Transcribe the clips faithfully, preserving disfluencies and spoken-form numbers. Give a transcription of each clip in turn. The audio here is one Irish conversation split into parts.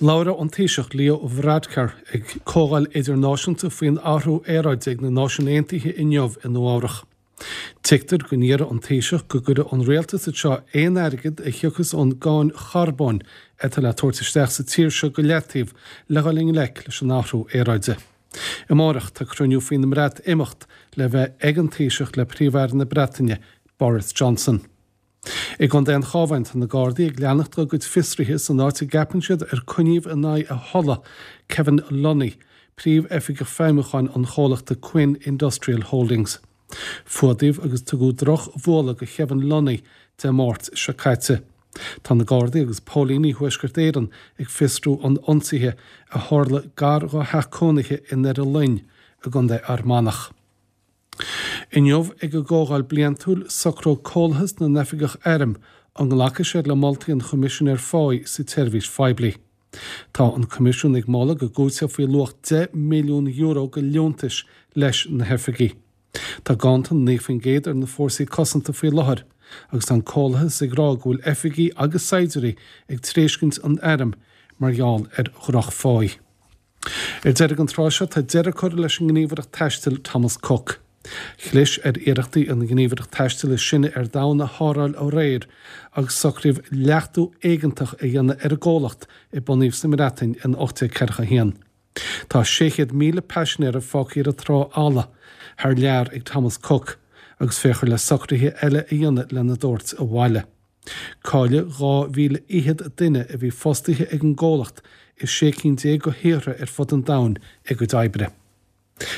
Labhróidh an Taoiseach Leo Varadkar ag comhdháil idirnáisiúnta faoin athrú aeráide ag na Náisiúin Aontaithe inniu i Nua-Eabhrac. Tuigtear go n-iarrfaidh an Taoiseach go gcuirfidh an rialtas anseo aon airgead a thiocfas ón gcáin charbóin atá le tabhairt isteach sa tír seo go leataobh le dhul i ngleic leis an athrú aeráide. Amárach tá cruinniú faoin mBreatimeacht le bheith ag an Taoiseach le Príomh-Aire na Breataine, Boris Johnson. I gContae an Chabháin tá na Gardaí ag leanacht dá gcuid fiosruithe san áit a gceapann siad ar coinníodh in aghaidh a thola Kevin Lunny, príomh-oifigeach feidhmiúcháin an chomhlachta Quinn Industrial Holdings. Fuadaíodh agus tugadh drochbhualadh do Kevin Lunny Dé Máirt seo caite. Tá na Gardaí agus Póilíní Thuaisceart Éireann ag fiosrú an ionsaithe a tharla gar dá theach cónaithe i nDoire Fhloinn i gContae Fhear Manach. Inniu ag an gcomhdháil bliantúil socróidh Comhlathas na nOifigeach Airm an nglacfaidh siad le moltaí an Choimisinéir Pháí sa tseirbhís phoiblí. Tá an Coimisiún ag moladh go gcúiteofaí luach deich milliún euro de liúntais leis na hoifigigh. Tá ganntan naoi faoin gcéad ar na fórsaí cosanta faoi láthair, agus tá an Comhlathas ag rá go bhfuil oifigigh agus saighdiúirí ag tréiscint an airm mar gheall ar dhrochpháí. Ar deireadh an tráth seo tá deireadh curtha leis an ngníomhaireacht taistil Thomas Cook. Chlis ar iarrachtaí an ghníomhaireacht taistil is sine ar domhan a tharrtháil aréir agus socraíodh leachtú éigeantach a dhéanamh ar an gcomhlacht a bunaíodh sa mBreatain in ocht déag ceathracha a haon. Tá sé chéad míle paisinéara fágtha ar an trá fholamh thar lear ag Thomas Cook agus féachfar le socruithe eile a dhéanamh lena dtabhairt abhaile. Cailleadh dhá mhíle fhichead duine a bhí fostaithe ag an gcomhlacht i sé cinn déag de thíortha ar fud an domhain a gcuid oibre.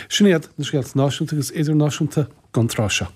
Sin iad na scéalta náisiúnta agus idirnáisiúnta don tráth seo.